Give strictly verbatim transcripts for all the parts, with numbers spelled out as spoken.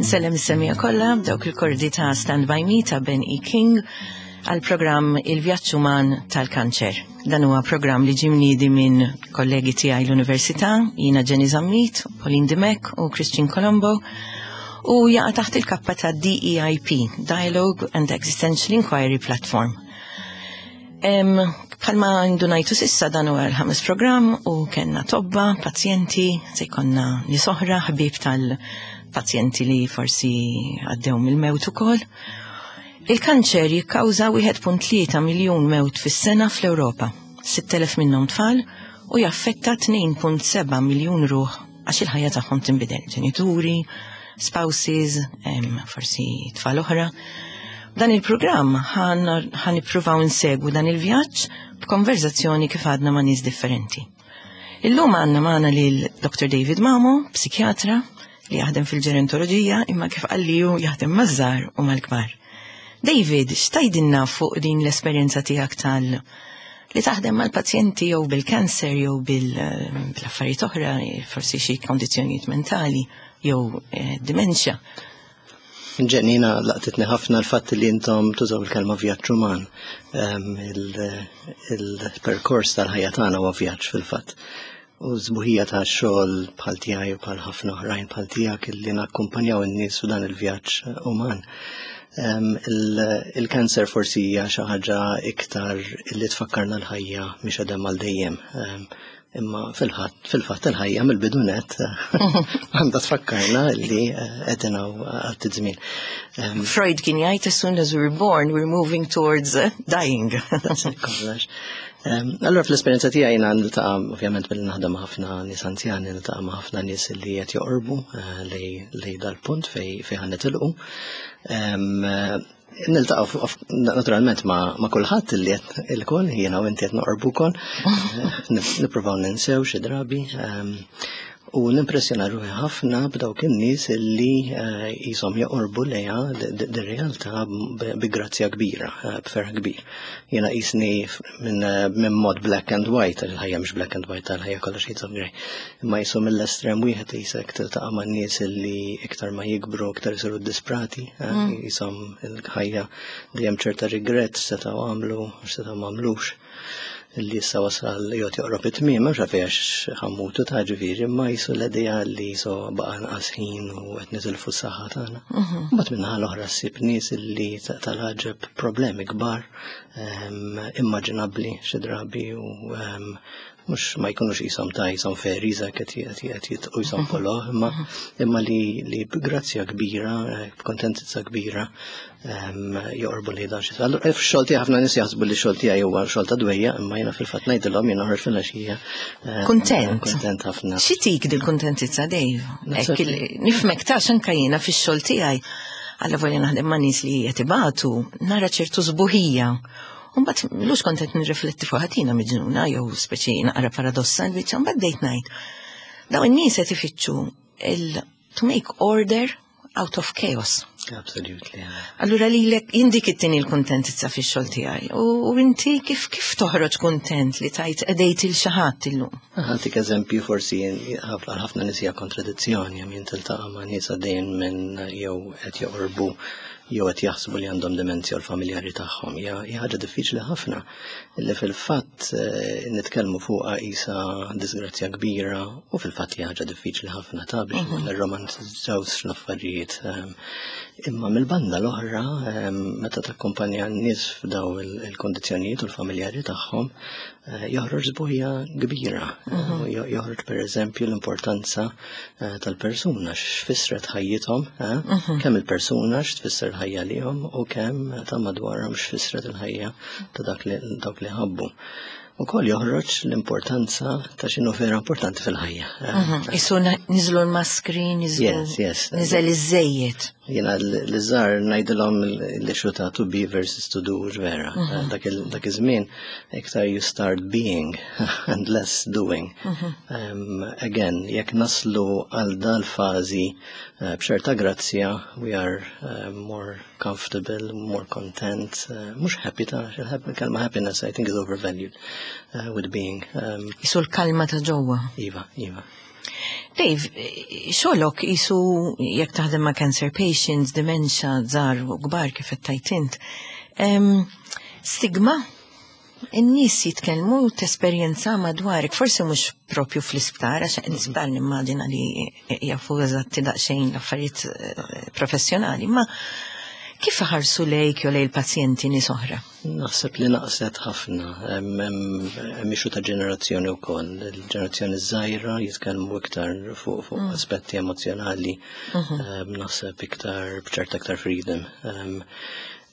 Insellem is-semmiegħa kollha b'dawk il-kordi ta' Stand By Me ta' Ben E. King għal programm Il-Vjaġġ Uman tal-Kanċer. Dan huwa programm li ġie mniedi minn kollegi tiegħi l-Università, jiena Jenny Zammit, Pauline Dimech u Christian Colombo, u jaqa' taħt il-kappa ta' D E I P, Dialogue and Existential Inquiry Platform. Em, Bħalma ndunajtu s'issa, dan huwa l-ħames programm u kellna tobba, pazjenti, se jkollna nies oħra, ħbieb tal-pazjenti li forsi għaddew mill-mewt ukoll. Il-kanċer jikkawża wieħed punt tlieta miljun mewt fis-sena fl-Ewropa, sitt elef minnhom tfal, u jaffetta tnejn punt seba' miljun ruħ għax il-ħajja tagħhom tinbidel, ġenituri, spouses, em, forsi tfal oħra. Dan il-programm ħa nippruvaw insegwu dan il-vjaġġ b'konverzazzjoni kif għadna ma' nies differenti. Illum għandna magħna lil Doctor David Mamo, psikjatra li jaħdem fil-ġerontoloġija, imma kif qalli hu jaħdem maż-żgħar u mal-kbar. David, x'tgħidilna fuq din l-esperjenza tiegħek tal li taħdem mal-pazjenti jew bil-kanser jew bil-affarijiet oħra, forsi xi kondizzjonijiet mentali jew eh, dementia? Jenny, jiena laqtitni ħafna l-fatt li intom tużaw il-kelma vjaġġ uman. Em, il- Il-perkors tal-ħajja tagħna huwa vjaġġ fil-fatt. U sbuħija ta' xogħol bħal tiegħi u bħal ħafna oħrajn bħal tiegħek illi nakkumpanjaw in-nies u dan il-vjaġġ uman. Em, il- Il-kanser forsi hija xi ħaġa iktar illi tfakkarna l-ħajja mhix għadem għal dejjem. Em, Imma fil-ħadd fil-fatt il-ħajja mill-bidu nett għandha tfakkarna li eh, qegħdin hawn għal żmien. Em, Freud kien jgħid, "As soon as we're born, we're moving towards uh, dying." Kollox. Em, Allora, fl-esperjenza tiegħi jiena niltaqa', ovvjament billi naħdem ma' ħafna nies anzjani, niltaqa' ma' ħafna nies li qed joqorbu eh, lej lej dal-punt fej fej ħa nitilqu. Em, eh, Niltaqa' f- naturalment ma' ma' kulħadd li qed ilkoll jiena u inti qed noqorbu wkoll. Eh, Nippruvaw ninsew xi drabi. em, U nimpressjona ruħi ħafna b'dawk in-nies illi eh, jisom joqorbu lejha dir-realtà bi grazzja kbira, eh, b'ferħ kbir. Jiena jisni minn eh, minn mod black and white, il-ħajja mhux black and white, il-ħajja kollha shades of grey. Imma jisom mill-estrem wieħed jisek tiltaqa' ma' nies illi iktar ma jikbru, iktar isiru disprati, eh, jisom il-ħajja dejjem ċerta regret, setgħu għamlu, setgħu m'għamlux, li issa wasal jgħod joqrob it-tmiem, mhux għax ħa mmutu ta' ġifieri, imma jisu l-idea li jisu baqa' nqas ħin u qed nitilfu s-saħħa tagħna. Mbagħad minnaħa l-oħra ssib nies li ta- tal-ħaġeb problemi kbar, em, immaġinabbli xi drabi, u em, mhux ma jkunux jisom ta' jisom fairies qed qed jitqu jisom polo, imma imma li li b'grazzja kbira, eh, b'kontentizza kbira em, joqorbu li dan xi. Allura f'xogħol tiegħi ħafna nies jaħsbu li xogħol tiegħi huwa xogħol ta' dwejja, imma jiena fil-fatt ngħidilhom jien noħroġ fil-għaxija eh, Kuntent. Kuntent ħafna. X'itik dil-kuntentizza, Dave? Naħseb Hekk il- Nifhmek ta' xanka jiena fix-xogħol tiegħi. Alla volja naħdem ma' nies li qed ibatu, nara ċertu sbuħija. Mbagħad lux kont qed nirrifletti fuq ħatina miġnuna jew speċi naqra paradossa l-biċċa, mbagħad bdejt ngħid. Dawn in-nies qed ifittxu il to make order out of chaos. Absolutely. yeah. Allura lilek jindik it-tieni l-kuntentizza fix-xogħol tiegħi. U u inti kif kif toħroġ kuntent li tajt qdejt il xi ħadd illum? Ħa ntik eżempju, forsi ħafna ħafna nies hija kontradizzjoni, għam jien tiltaqa' ma' nies għaddejjin minn jew qed joqorbu jew qed jaħsbu li għandhom demenzja u l-familjari tagħhom. Hija hija ħaġa diffiċli ħafna li fil-fatt eh, nitkellmu fuqha qisha disgrazzja kbira, u fil-fatt hija ħaġa diffiċli ħafna ta' biex ma nirromantizzawx l-affarijiet. Ehm, Imma mill-banda l-oħra, ehm, meta takkumpanja n-nies f'daw il- il-kondizzjonijiet u l-familjari tagħhom, eh, joħroġ sbuħija kbira. Eh, jo- Joħroġ per eżempju l-importanza eh, tal-persuna, x'fissret ħajjithom, eh, kemm il-persuna x'tfisser l-ħajja lihom u kemm ta' madwarhom x'fissret il-ħajja ta' dak li dawk li ħabbu. Ukoll joħroġ l-importanza ta' x'inhu vera importanti fil-ħajja. Eh, Isu na- niżlu l-maskri, niżlu. Yes, yes. Niżel iż-żejjed. Jiena l-żgħar ngħidilhom li ta' to be versus to do vera. Dak il- dak iż-żmien iktar you start being and less doing. Um, again, jekk naslu għal dal-fażi uh, b'ċerta grazzja, we are uh, more comfortable, more content, uh, mhux happy ta' il-kelma happiness I think is overvalued uh, with being. Um, Isu l-kalma ta' ġewwa. Iva, iva. Dave, xogħlok qisu jekk taħdem ma' cancer patients, dementia, żgħar u kbar kif qed int. Stigma? In-nies jitkellmu tesperjenza madwarek, forsi mhux propju fl-isptar, għax l-isptar nimmaġina li jafu eżatti daqsxejn l-affarijiet eh, professjonali, ma kif ħarsu lejk jew lejn il-pazjenti nies oħra? Naħseb li naqset ħafna, hemm issue ta' ġenerazzjoni wkoll. Il-ġenerazzjoni żgħira jitkellmu iktar fuq fuq mm. aspetti emozjonali, mhm. naħseb iktar b'ċerta iktar freedom.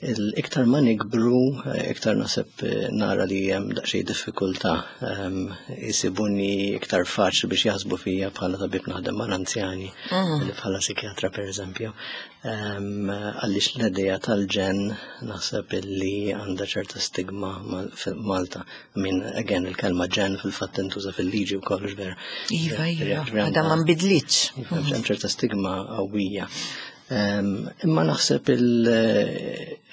Il-iktar ma nikbru, iktar naħseb eh, nara li hemm daqsxejn diffikultà, jisibuni iktar faċli biex jaħsbu fija bħala tabib naħdem mal-anzjani, mhm. li bħala psikjatra per eżempju. Għaliex l-idea tal-ġen naħseb illi għandha ċerta stigma fil-Malta. I mean, again, il-kelma ġen fil-fatt intuża fil-liġi u kollox, vera. Iva, iva, għadha ma nbidlitx. Hemm ċerta stigma qawwija. Imma naħseb il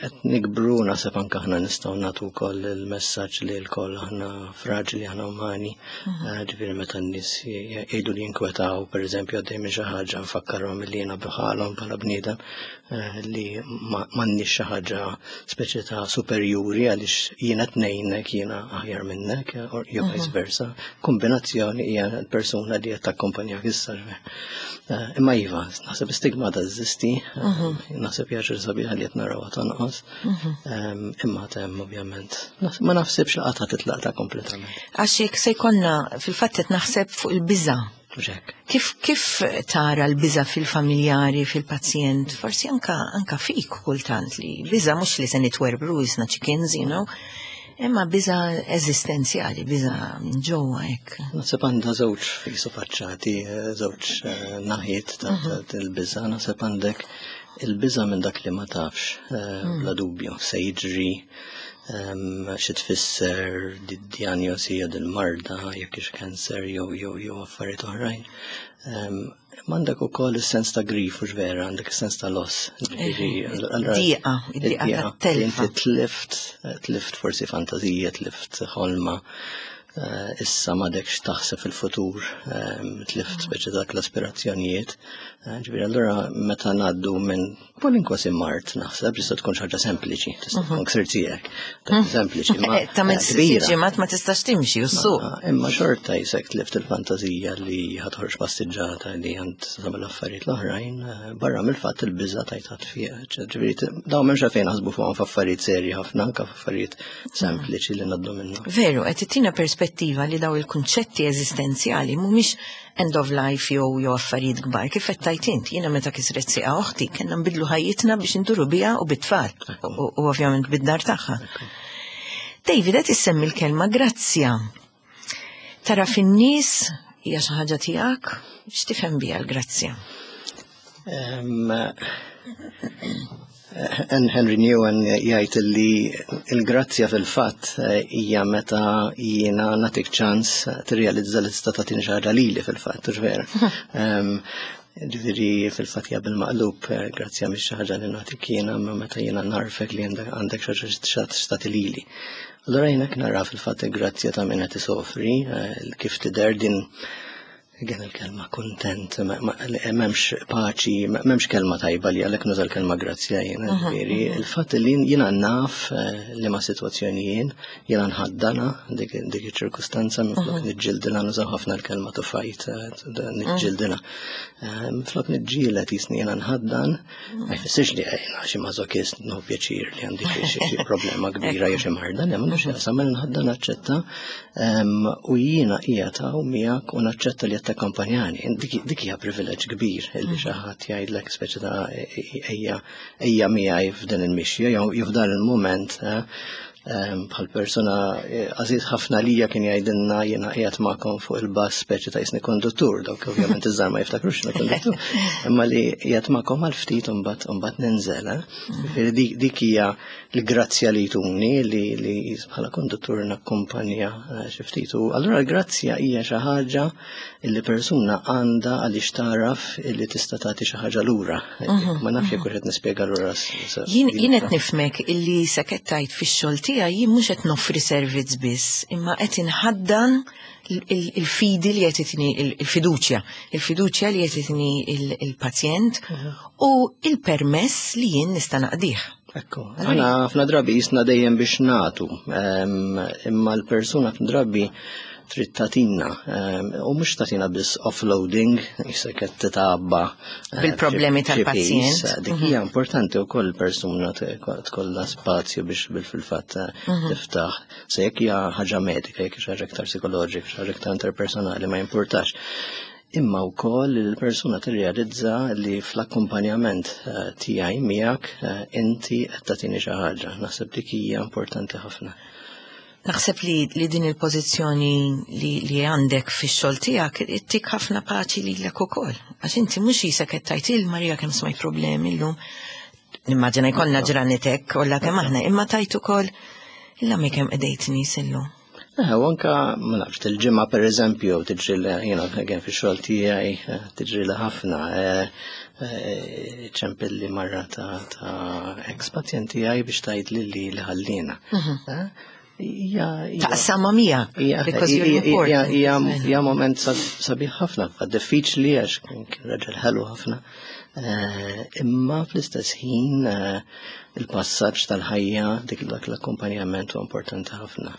qed nikbru, naħseb anke aħna nistgħu nagħtu wkoll il-messaġġ li lkoll aħna fraġli, aħna umani. Mhm. Eh, ġifieri meta n-nies jgħidu li jinkwetaw, pereżempju għaddej minn xi ħaġa, nfakkarhom li jiena bħalhom bħala bniedem, eh, li m'għandniex xi ħaġa speċi ta' superjuri għaliex jiena tnejnek jiena aħjar minnek jew mhm. vice versa. Kombinazzjoni hija l-persuna li qed takkompanjak issa. Eh, imma iva, naħseb stigma teżisti, mhm. naħseb jaġir sabiħa li qed narawha tonqos. Mhm. Imma tem ovvjament. Ma naħsibx li qatt titlaq ta' kompletament. Għax jekk se jkollna fil-fatt qed naħseb fuq il-biża'. Kif kif tara l-biża' fil-familjari, fil-pazjent, forsi anka anka fik kultant li biża' mhux li se nitwerbru jisna chickens, you know, imma biża' eżistenzjali, biża' minn ġewwa hekk. Naħseb għandha żewġ fisu faċċati, żewġ eh, naħiet ta' mhm. il-biża'. Naħseb għandek il-biża' minn dak li ma tafx, eh, mm. bla dubju, se jiġri, xi tfisser di-diagnosi jew dil-marda, jekk hix cancer jew jew jew affarijiet oħrajn. M'għandek ukoll is-sens ta' grief, u vera, għandek is-sens ta' loss. Diqa, diqa ta' Inti tlift, tlift forsi fantazija, tlift ħolma, eh, issa m'għadekx taħseb fil-futur, tlift speċi dak l-aspirazzjonijiet. Eh, ġifieri allura meta ngħaddu minn kwalunkwe mard, naħseb tista' tkun xi ħaġa sempliċi, tista' tkun ksir tiegħek, sempliċi, ma Ta' minn kbira. ġimgħat ma tistax timxi u ssuq. Imma xorta jisek tlift il-fantazija li ħa toħroġ passiġġata, li għand tagħmel affarijiet l-oħrajn, eh, barra mill-fatt il-biża tajt fiha. Ġifieri dawn m'hemmx fejn naħsbu fuqhom f'affarijiet serji ħafna, anke f'affarijiet sempliċi li ngħaddu minnhom. Veru, qed tittina perspettiva li daw il-kunċetti eżistenzjali mhumiex end of life jew jew affarijiet kbar. Kif qed tajt int, jiena meta kisret sieqa oħti kellna nbidlu ħajjitna biex induru biha u bit-tfal u u ovvjament bid-dar tagħha. David, qed issemmi l-kelma grazzja. Tara fin-nies, hija xi ħaġa tiegħek, x'tifhem biha l-grazzja? Em, Henri Nouwen jgħid li il-grazzja fil-fatt eh, hija meta jiena nagħtik ċans tirrealizza li tista' tagħtini xi ħaġa lili fil-fatt, hux vera? Em, Ġifieri fil-fatt hija bil-maqlub, eh, grazzja mhix xi ħaġa li nagħtik jiena, imma meta jiena narfek li għandek għandek xi ħaġa x'tagħti lili. Allura jiena nara fil-fatt il-grazzja ta' min qed isofri, eh, kif tidher din. Again il-kelma kontent, m'hemmx paċi, m'hemmx kelma tajba li għalhekk nuża l-kelma grazzja jiena, ġifieri. Il-fatt li jiena naf eh, li ma sitwazzjoni jien, jiena nħaddana dik dik iċ-ċirkustanza minflok niġġildilha, nużaw ħafna l-kelma to fight, eh, niġġildilha. Eh, Minflok niġġieled jisni jiena nħaddan, ma jfissirx li jiena xi mażokist nieħu pjaċir li għandi xi xi problema kbira jew xi marda, le m'għandux x'jaqsam, nħaddan, naċċetta em, u jiena qiegħed hawn miegħek u naċċetta li qed takkompanjani. Dik dik hija privileġġ kbir illi xi ħadd jgħidlek speċi ta' ejja ejja miegħi f'din il-mixja jew jew f'dan il-mument, eh, em, bħal persona eh, għażiż ħafna lija kien jgħidilna jiena qiegħed magħkom fuq il-bus speċi ta' jisni konduttur, dawk ovvjament iż-żgħar ma jiftakrux x'inhu konduttur, imma li qiegħed magħkom għal ftit u mbagħad u mbagħad ninżel. eh. Ġifieri dik dik hija l-grazzja li jtuni li li bħala konduttur nakkumpanja eh, xi ftit. U allura l-grazzja hija xi ħaġa li persuna għandha għaliex taraf illi tista' tagħti xi ħaġa lura. Ma nafx jekk qed nispjega lura. s- s- Jien jien qed nifhmek illi sekettajt fix-xogħol tiegħi jien mhux qed noffri servizz biss, imma qed inħaddan il-fidi li qed il-fiduċja, il-fiduċja li qed il-pazjent u il-permess li jien nista' naqdih. Ekku, aħna ħafna drabi jisna dejjem biex nagħtu, imma l-persuna ħafna drabi trid tagħtina, u mhux tagħtina biss offloading, jisek qed titgħabba bil-problemi tal-pazjent. Dik hija importanti wkoll persuna tkollha spazju biex bil-fil-fatt tiftaħ. Se jekk hija ħaġa medika, jekk xi ħaġa iktar psikoloġika, xi ħaġa iktar interpersonali, ma jimpurtax. Imma wkoll il-persuna tirrealizza li fl-akkumpanjament tiegħi miegħek inti qed tagħtini xi ħaġa. Naħseb dik hija importanti ħafna. Naħseb li, li din il-pożizzjoni li, li għandek fix-xogħol tiegħek ittik ħafna paċi lilek ukoll. Għax inti mhux jisek qed tgħid il Marija kemm smajt problemi llum. Nimmaġina jkollna ġranet kollha kemm aħna, imma tajt ukoll illa mi kemm qedejt nies illum. Eh, u anka, ma nafx, til-ġimgħa per eżempju, tiġri li, you know, again, fix-xogħol tiegħi, tiġri li ħafna, ċempilli marra ta' ta' ex-pazjent tiegħi biex tgħid li li li ħallina. Taqsama miegħek, because you're important. Hija moment sabiħ ħafna, diffiċli għax kien raġel ħelu ħafna. Imma fl-istess ħin il-passaġġ tal-ħajja, dik dak l-akkumpanjament huwa importanti ħafna.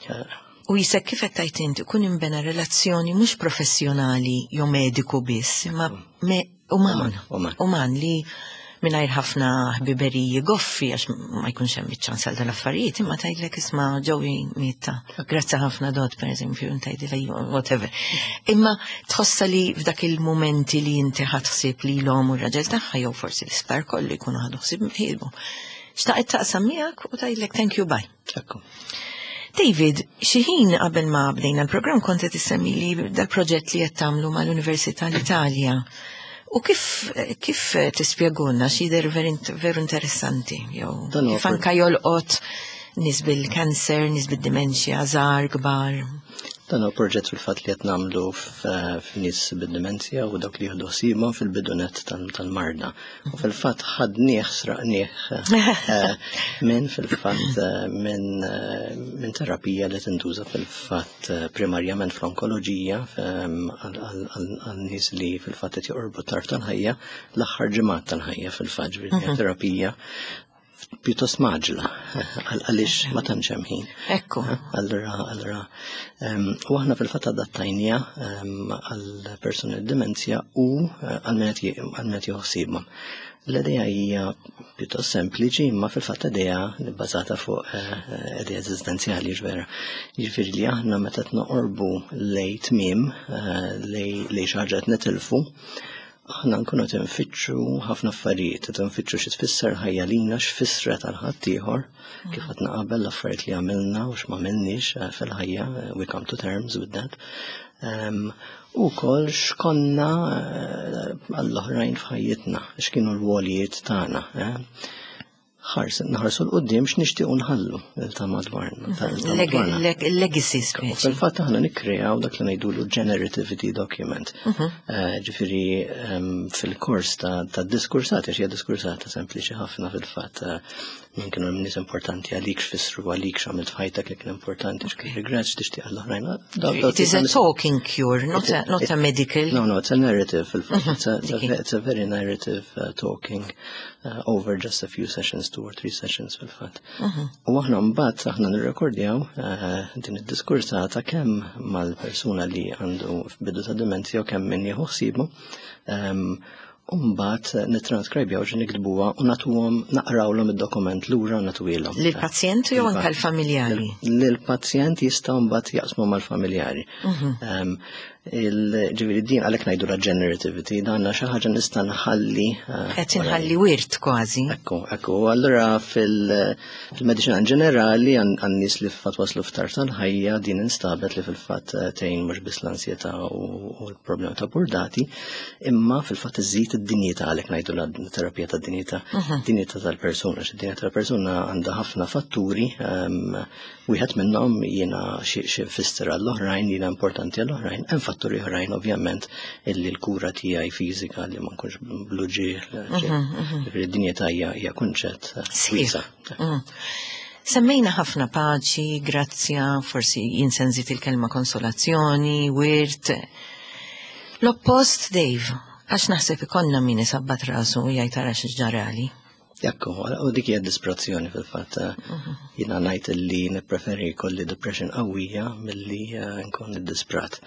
U jisek kif qed tgħid inti ikun imbena relazzjoni mhux professjonali jew mediku biss, imma uman. Uman li mingħajr ħafna ħbiberiji goffi għax ma jkunx hemm iċ-ċans għal dal-affarijiet, imma tgħidlek isma' ġewi mietta. Grazzi ħafna dot, pereżempju, tgħidilha whatever. Imma tħossa li f'dak il-mumenti li inti ħadd ħsieb li l-om u r-raġel tagħha jew forsi l-isptar kollu jkunu ħadu ħsieb ħielbu. Xtaqet taqsam miegħek u tgħidlek thank you, bye. Ekku. David, xi ħin qabel ma bdejna l-programm kont qed issemmi li dal-proġett li qed tagħmlu mal-Università l-Italja. U kif, kif tispjegulna xi jidher veru interessanti, jew Dan huwa kif anka jolqot nies bil-kanser, nies bid-dimensja, żgħar, kbar. Dan huwa proġett fil-fatt li qed nagħmlu f'nies bid-dimensja u dawk li jieħdu ħsiebhom fil-bidunet tal-marda. U fil-fatt ħadnieh, sraqnieh minn fil-fatt minn minn terapija li tintuża fil-fatt primarjament fl-onkoloġija għal nies li fil-fatt qed joqorbu tarf tal-ħajja, l-aħħar ġimgħat tal-ħajja fil-fatt, ġifieri terapija pjuttost maġla, għaliex ma tantx hemm ħin. Ekku. Allura, allura, u aħna fil-fatt adattajnija għal persuni b'dimenzja u għal min qed jieħu ħsiebhom. L-idea hija pjuttost sempliċi, imma fil-fatt idea bbażata fuq idea eżistenzjali ġvera. Jiġifieri li aħna meta qed noqorbu lejn tmiem, lejn xi ħaġa qed nitilfu, aħna nkunu qed nfittxu ħafna affarijiet, qed nfittxu xi tfisser ħajja lina, x'fissret għal ħaddieħor, kif qed naqabel l-affarijiet li għamilna u x'm'għamilniex fil-ħajja, we come to terms with that. U wkoll x'konna għall-oħrajn f'ħajjitna, x'kienu l-wolijiet tagħna. Naħarsu l-qoddim x'nixtiequ nħallu ta' madwarna. Legacy speċi. Fil-fatt aħna nikkreaw dak li ngħidulu generativity document. Ġifieri fil-kors ta' diskursata, xi diskursata sempliċi ħafna fil-fatt min kienu nies importanti għalik, x'fissru għalik, x'għamilt f'ħajtek li kien importanti, x'kien regret, x'tixtieq għall-oħrajn. It is a talking cure, not a, not a medical. No, no, it's a narrative fil-fatt. It's a, it's a, it's a very narrative uh, talking uh, over just a few sessions, two or three sessions fil-fatt. U aħna mbagħad aħna nirrekordjaw din id-diskursata kemm mal-persuna li għandu f'bidu ta' dimenzja u kemm min jieħu ħsiebu. U mbagħad nittranskribjaw xi niktbuha u nagħtuhom naqrawlhom id-dokument lura u nagħtuhilhom. Lill-pazjent jew anke l-familjari? Lill-pazjent jistgħu mbagħad jaqsmu mal-familjari. Ġifieri din għalhekk ngħidu la generativity, dan xi ħaġa nista' nħalli. Qed inħalli wirt kważi. Ekku, ekku. Allura fil-mediċina ġenerali għan-nies li fil-fatt waslu f'tarf tal-ħajja din instabet li fil-fatt tgħin mhux biss l-ansjetà u l-problema ta' burdati, imma fil-fatt iżid id-dinjità, għalhekk ngħidu la terapija tad-dinjità, dinjità tal-persuna, xi dinjità tal-persuna għandha ħafna fatturi, wieħed minnhom jiena xi fisser għall-oħrajn, jiena importanti għall-oħrajn, hemm fatturi oħrajn ovvjament illi l-kura tiegħi fiżika li ma nkunx bluġi, ġifieri d-dinjità hija kunċett wiesa'. Semmejna ħafna paċi, grazzja, forsi jien se nżid il-kelma konsolazzjoni, wirt. L-oppost, Dave, għax naħseb ikollna min isabbat rasu u jgħid ara x'ġarali. Ekku, u dik hija disperazzjoni fil-fatt. Jiena ngħid li nippreferi jkolli depression qawwija milli eh, nkun iddisprat.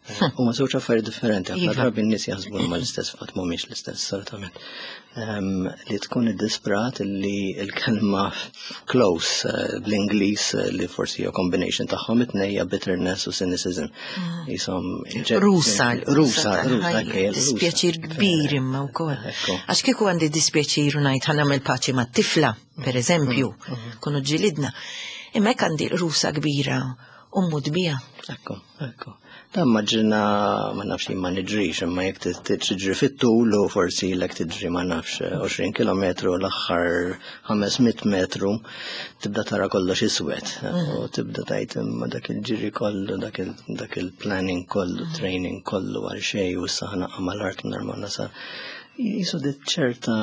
Eh, huma żewġ affarijiet differenti, ħafna Iva. drabi n-nies jaħsbu huma l-istess, fatt mhumiex l-istess, assolutament. Ehm, Li tkun iddisprat, li l-kelma close eh, bl-Ingliż eh, li forsi hija combination tagħhom it-tnejn hija bitterness u cynicism. Jisom Rusa, Rusa, rusa, ekk, Dispjaċir kbir imma wkoll. Ekku. Għax kieku għandi dispjaċir u ngħid ħa nagħmel paċi mat-tifla, per eżempju, kunu ġilidna. Imma hekk għandi rusa kbira u mmut biha. Ekku, ekku. Dan maġina, ma nafx jien ma niġrix, imma jekk tiġri fit-tul u forsi lek tiġri, ma nafx, għoxrin kilometru, l-aħħar ħames mitt metru tibda tara kollox iswed. U tibda tgħid imma dak il-ġiri kollu, dak il- dak il-planning kollu, training kollu għal xejn u issa ħa naqa' mal-art ma nasal. Jisu dit ċerta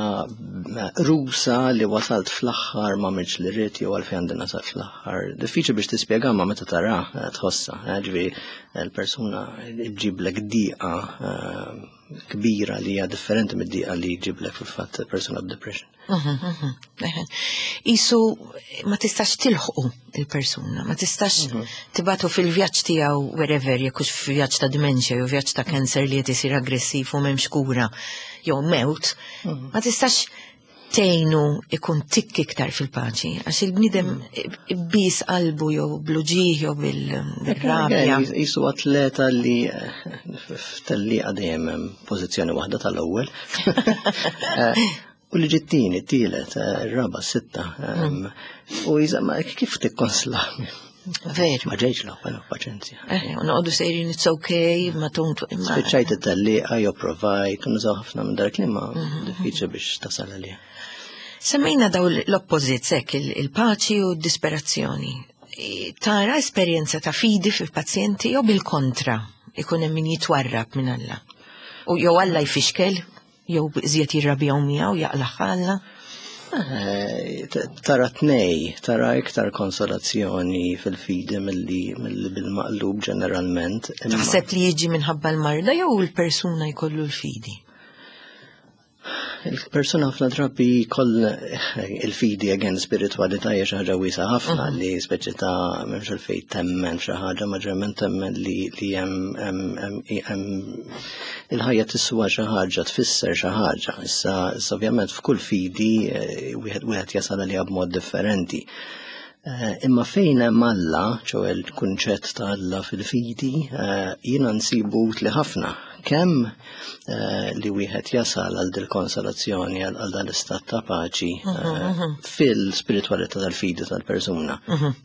rusa li wasalt fl-aħħar, ma għamiltx li rrid jew għalfejn għandi nasal fl-aħħar. Diffiċli biex tispjega, ma meta tara eh, tħossa. eh, Ġifieri l-persuna ġiblek diqa eh, kbira li hija differenti mid-diqa li ġiblek fil-fatt persuna b'depression. Isu ma tistax tilħqu il-persuna, ma tistax tibagħtu fil-vjaġġ tiegħu wherever, jekk hux vjaġġ ta' dementia jew vjaġġ ta' cancer li qed isir aggressiv u m'hemmx kura jew mewt, ma tistax tgħinu ikun tikk iktar fil-paċi, għax il-bniedem bis qalbu jew bl-uġigħ jew bil-rabja. Jisu atleta li eh, f'tellieqa dejjem hemm pożizzjoni waħda tal-ewwel. Eh, U li ġittini, t-tielet, eh, ir-raba, sitta. em, U jizama, kif tikkonsla? Veru. Ma ġejx l-ewwel, paċenzja. Eh, u noqogħdu sejrin it's okay, ma tontu imma. Spiċċajt it-tellieqa jew provajt, nużaw ħafna minn dak li ma diffiċli biex tasal għalija. Semmejna daw l-opposite hekk, il-paċi u d-disperazzjoni. E, Tara esperjenza ta' fidi fil-pazjenti jew bil-kontra ikun hemm min jitwarrab minn Alla? U jew Alla jfixkel, jew iżjed jirrabjaw miegħu jaqlaħ Alla. Eh, t- Tara tnej, tara iktar konsolazzjoni fil-fidi milli milli bil-maqlub ġeneralment. Imma- Taħseb li jiġi minħabba l-marda jew il-persuna jkollu l-fidi? Il-persuna ħafna drabi koll il-fidi, again, spiritualità hija xi ħaġa wiesgħa ħafna li speċi ta' m'hemmx għalfejn temmen xi ħaġa, ma ġerment temmen li li hemm hemm hemm hemm il-ħajja tiswa xi ħaġa, tfisser xi ħaġa. Issa issa ovvjament f'kull fidi eh, wieħed wieħed jasal għaliha b'mod differenti. Eh, Imma fejn hemm Alla, ċoè l-kunċett ta' Alla fil-fidi, eh, jiena nsibu utli ħafna. Kemm eh, li wieħed jasal għal dil konsolazzjoni, għal għal dan l-istat ta' paċi eh, fil-spiritualità tal-fidi tal-persuna.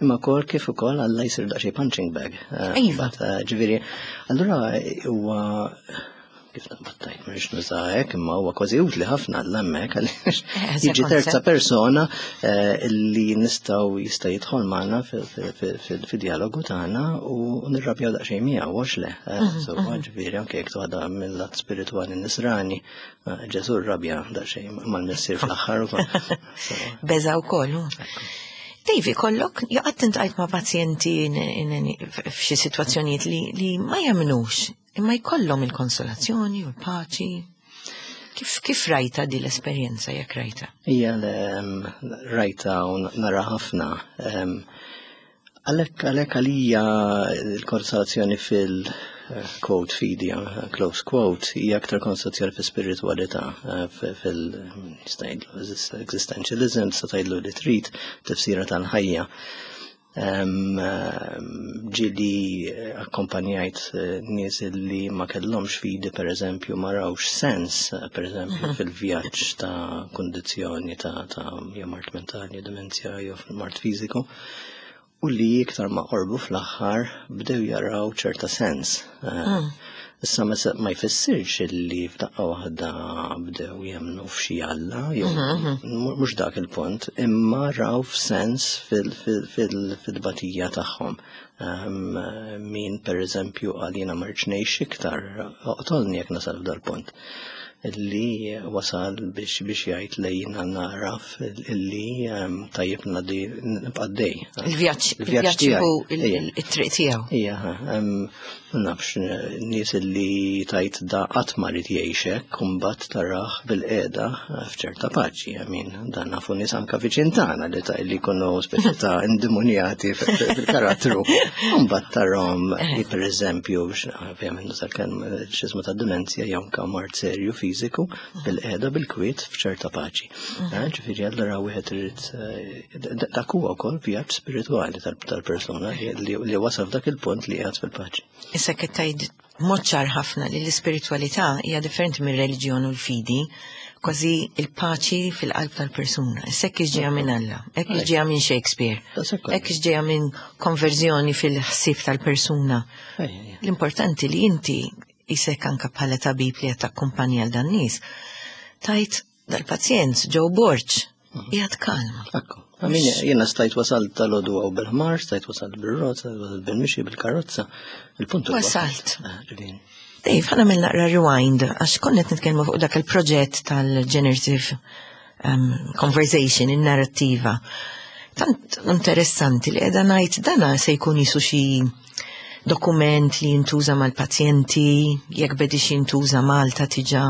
Imma kol kif ukoll Alla jsir daqsxejn punching bag. Eh, Iva. But, eh, Ġifieri, allura huwa kif naqbad mhux nuża hekk, imma huwa kważi utli ħafna għall hemmhekk għaliex Eh, jiġi terza koncept. persona eh, li nistgħu jista' jidħol magħna fid-dialogu tagħna u nirrabjaw daqsxejn miegħu, għax le. Eh, So ġifieri anke jekk toħodha mill-lat spiritwali nisrani, eh, Ġesù rrabja daqsxejn mal-missier fl-aħħar ukoll. So, Beża wkoll. hu. David, kollok, jaqgħad iltqajt ma' pazjenti in- in- f'xi sitwazzjonijiet li, li ma jemmnux, imma jkollhom il-konsolazzjoni u l-paċi. Kif, kif rajta di l-esperjenza, jekk rajta? Ija, em, rajta u nara ħafna. Em, Għalek għalek għalija il-konsolazzjoni fil- eh, quote fidi, eh, close quote, hija aktar konsolazzjoni fil spiritualità, eh, fil existentialism, sa tgħidlu li trid, tifsira tal-ħajja. Em, em, Ġieli akkompanjajt eh, nies li ma kellhomx fidi, per eżempju, ma rawx sens, eh, per eżempju, fil-vjaġġ ta' kondizzjoni ta' ta' jew mard mentali, demenzja jew mard fiżiku, u li iktar ma qorbu fl-aħħar bdew jaraw ċerta sens. Eh, Issa ma se- ma jfissirx li f'daqqa waħda bdew jemmnu f'xi Alla, jew mhux dak il-punt, imma raw f'sens fil-tbatija tagħhom. Um, min per eżempju qal jiena ma rridx ngħix iktar, oqtolni jekk nasal f'dal-punt. Illi wasal biex biex jgħid li jiena naraf illi um, tajjeb ngħaddi nibqa' għaddej. Il-vjaġġ Il-vjaġġ il-vjaġġ hu tiegħi. Ija. il-triq tiegħu. Ija, um, nafx, nies li tajt da qatt ma rid jgħix hekk, u mbagħad tarah bil-qiegħda f'ċerta paċi. I mean, dan nafu nies anka viċin tagħna li ta' li jkunu speċi ta' indemonjati fil-karattru. Mbagħad tarahom li pereżempju, ovvjament nuża l-kelma x'ismu ta' dimenzja jew anka mard serju fiżiku bil-qiegħda bil-kwiet f'ċerta paċi. Eh, Ġifieri allura wieħed irid eh, dak huwa wkoll vjaġġ spiritwali tal-persuna li li wasal f'dak il-punt li qiegħed fil-paċi. Issa qed tgħid mod ċar ħafna li l-ispiritwalità hija differenti mir-reliġjon u l-fidi, kważi il-paċi fil-qalb tal-persuna. Issa hekk ġejja minn Alla, hekk ġejja minn Shakespeare, hekk ġejja minn konverżjoni fil-ħsieb tal-persuna. L-importanti li inti isek anka bħala tabib li qed takkumpanja għal dan nies, tajt dal-pazjent Joe Borg, qiegħed kalma. Ekku. I mean, jiena stajt wasalt tal-għodu għaw bil-ħmar, stajt wasalt bil-rot, stajt wasalt bil-mixi, bil-karozza. Il-punt huwa Wasalt. Eh, ġifieri. Dave, ħa nagħmel naqra rewind, għax konna qed nitkellmu fuq dak il-proġett tal-generative um, conversation, il-narrativa. Tant interessanti li qiegħda ngħid dana se jkun jisu xi dokument li jintuża mal-pazjenti, jekk bedix jintuża Malta diġà.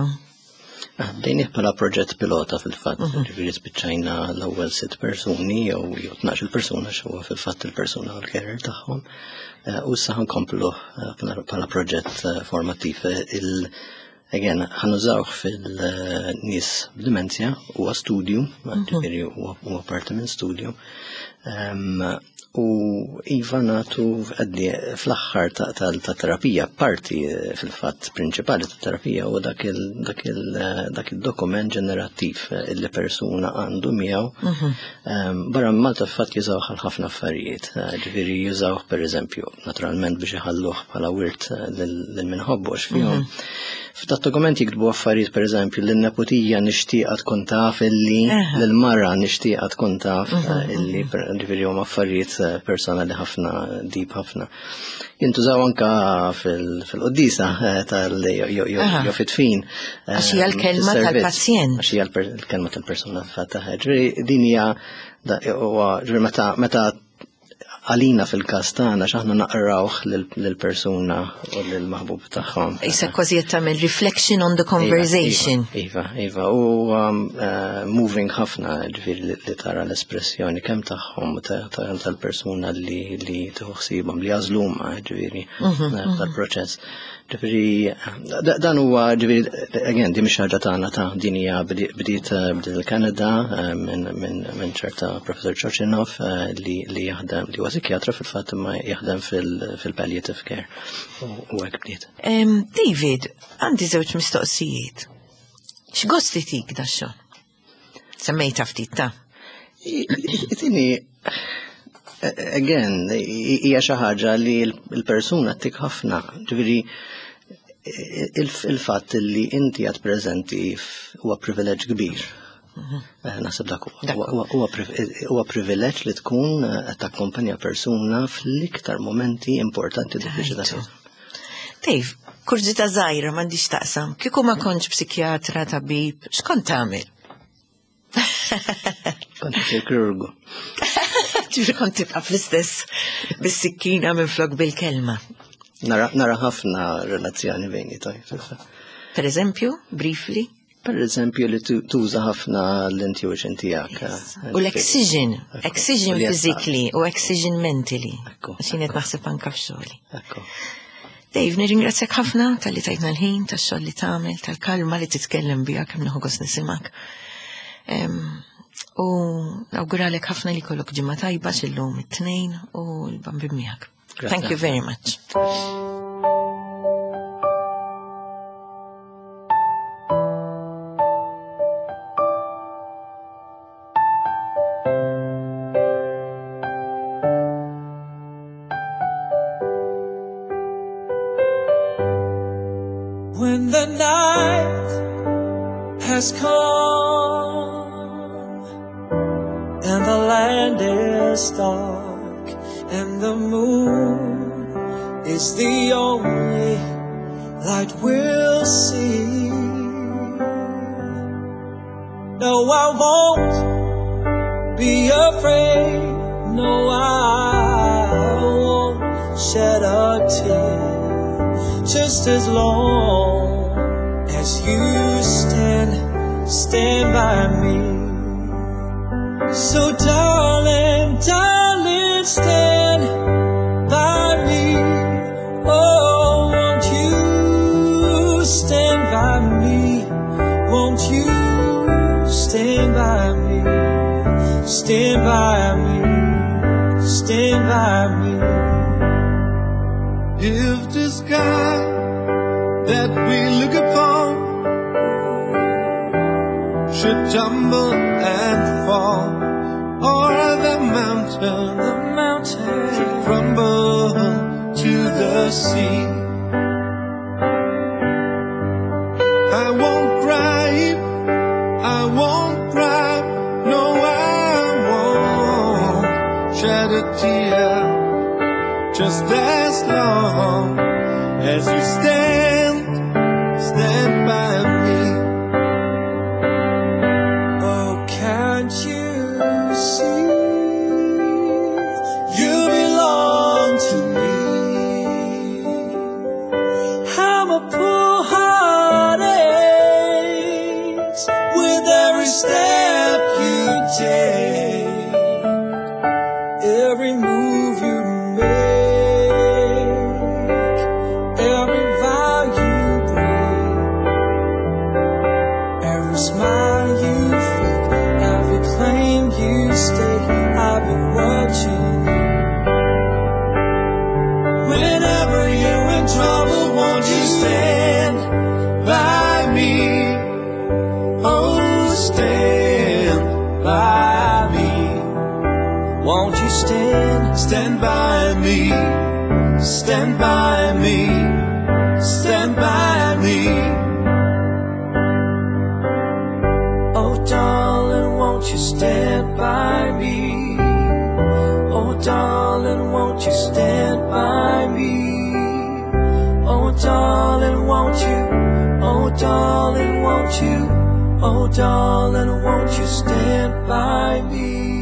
Ah, bdejnieh bħala proġett pilota fil-fatt, ġifieri spiċċajna l-ewwel sitt persuni jew jew tnax-il persuna x'huwa fil-fatt il-persuna u l-carer tagħhom. Eh, U issa ħankomplu eh, bħala proġett eh, formattiv. Il Again, ħa nużawh fil-nies b'dimenzja, huwa studju, ġifieri huwa huwa parti minn studju. Em, U iva natu għaddi fl-aħħar ta' ta' terapija, parti eh, fil-fatt prinċipali ta' terapija u dak il- dak il- eh, dak il-dokument ġenerattiv eh, illi persuna għandu miegħu. Em, Barra minn Malta fil-fatt jużawh għal ħafna affarijiet, eh, ġifieri jużawh per eżempju, naturalment biex iħalluh bħala wirt eh, lil lil min iħobbu għax fihom. F'dat dokument jiktbu affarijiet per eżempju lin-neputija nixtieqa tkun taf illi Aha. lill-mara nixtieqa tkun taf eh, illi per- ġifieri huma affarijiet eh, personali ħafna, deep ħafna. Jintużaw anka fil- fil-qoddisa eh, tal jew- jew Aha. jew fit-tfin. eh, Għax hija l-kelma fis-servizz. tal-pazjent. Għax hija l-per- l-kelma tal-persuna fatta. Ġifieri din hija da- huwa ġifieri meta meta għalina fil-każ tagħna x'aħna naqrawh lill-persuna u lill-maħbub tagħhom. Issa kważi qed tagħmel reflection on the conversation. Iva, iva, u um, uh, moving ħafna ġifieri li, li tara l-espressjoni kemm tagħhom u ta- ta- tal-persuna li li tieħu ħsiebhom li jażluma ġifieri eh, tal-proċess. Ġifieri da- dan huwa ġifieri again di mhix ħaġa tagħna ta' din hija bdi- bdiet eh, bdiet il-Kanada eh, minn minn minn ċerta Professor Chochinov eh, li li jaħdem li huwa psikjatra fil-fatt imma jaħdem fil- fil-palliative care u u hekk bdiet. Em, David, għandi żewġ mistoqsijiet. X'gost itik da xogħol? Semmejta ftit ta' Itini, again, hija xi ħaġa li l-persuna tik ħafna. Ġifieri il-fatt li inti għad preżenti huwa privileġġ kbir. Eh, Naħseb dak huwa. Dak Huwa- Huwa huwa privileġġ li tkun eh, qed takkumpanja persuna fl-iktar momenti importanti diffiċli ta' Tajtu. Dave, kurżità żgħira m'għandix taqsam. Kieku ma kontx psikjatra, tabib, x'kont tagħmel? Kont kirurgu. Ġifieri kont tibqa' fl-istess bis-sikkina minn flok bil-kelma. Nara nara ħafna relazzjoni bejni tajt. Per eżempju, briefly, Per eżempju li tu- tuża ħafna l-intuition tiegħek. eh, u l-excision, Ekku. excision U li physically u excision mentally. Ekku, Għax jien qed naħseb anka f'xogħli. Ekku. Dave, nirringrazzjak ħafna tal-li tajtna l-ħin, tax-xogħol li tagħmel, tal-kalma li titkellem biha kemm nieħu gost nisimgħek. Em, U nawguralek ħafna li kollok ġimgħa tajba x'illum it-tnejn u l-bambin miegħek. Grazie. Thank you very much. When the night has come and the land is dark and the moon is the only light we'll see. No, I won't be afraid. No, I won't shed a tear. Just as long as you stand, stand by me. So darling, darling, stand by me. Oh, won't you stand by me? Won't you stand by me? Stand by me. Stand by me. If the sky that we look upon should tumble and fall, or the mountain, the mountain should crumble to the sea, I won't cry, I won't cry, no, I won't shed a tear, just as long as you stand, stand by me. Oh, can't you see? You belong to me. How my poor heart aches with every step you take, every move you make, every vow you break, every smile you fake, every claim you stake. I've been watching you. Whenever you're in trouble, won't you stand by me? Oh, stand by me. Won't you stand? Stand by me. Stand by me. Stand by me. Oh, darling, won't you stand by me? Oh, darling, won't you stand by me? Oh, darling, won't you? Oh, darling, won't you? Oh, darling, won't you stand by me?